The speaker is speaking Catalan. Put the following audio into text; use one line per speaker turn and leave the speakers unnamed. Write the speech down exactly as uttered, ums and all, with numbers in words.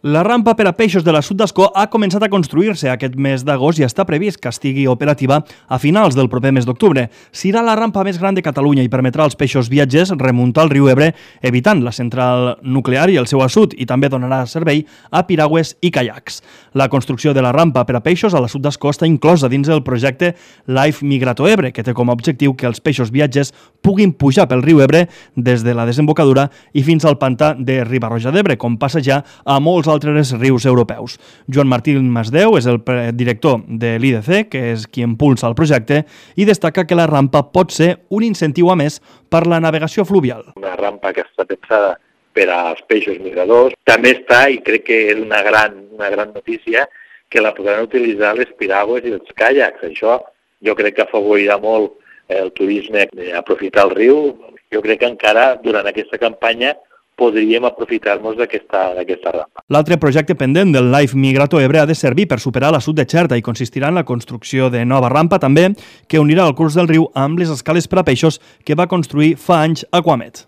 La rampa per a peixos de la Sud d'Ascó ha començat a construir-se aquest mes d'agost i està previst que estigui operativa a finals del proper mes d'octubre. Serà la rampa més gran de Catalunya i permetrà als peixos viatgers remuntar el riu Ebre, evitant la central nuclear i el seu assut, i també donarà servei a piragües i caiacs. La construcció de la rampa per a peixos a la Sud d'Ascó està inclosa dins el projecte Life Migrato Ebre, que té com a objectiu que els peixos viatgers puguin pujar pel riu Ebre des de la desembocadura i fins al pantà de Riba-roja d'Ebre, com passa ja a molts altres rius europeus. Joan Martí Masdeu és el director de l'I D C, que és qui impulsa el projecte, i destaca que la rampa pot ser un incentiu a més per la navegació fluvial.
Una rampa que està pensada per als peixos migradors. També està, i crec que és una gran, una gran notícia, que la podran utilitzar les piragües i els caiacs. Això jo crec que afavorirà molt el turisme, aprofitar el riu. Jo crec que encara durant aquesta campanya podríem aprofitar-nos d'aquesta d'aquesta rampa.
L'altre projecte pendent del Life Migrato Ebre ha de servir per superar l'assut de Xerta i consistirà en la construcció de nova rampa també que unirà el curs del riu amb les escales per a peixos que va construir fa anys Aquamet.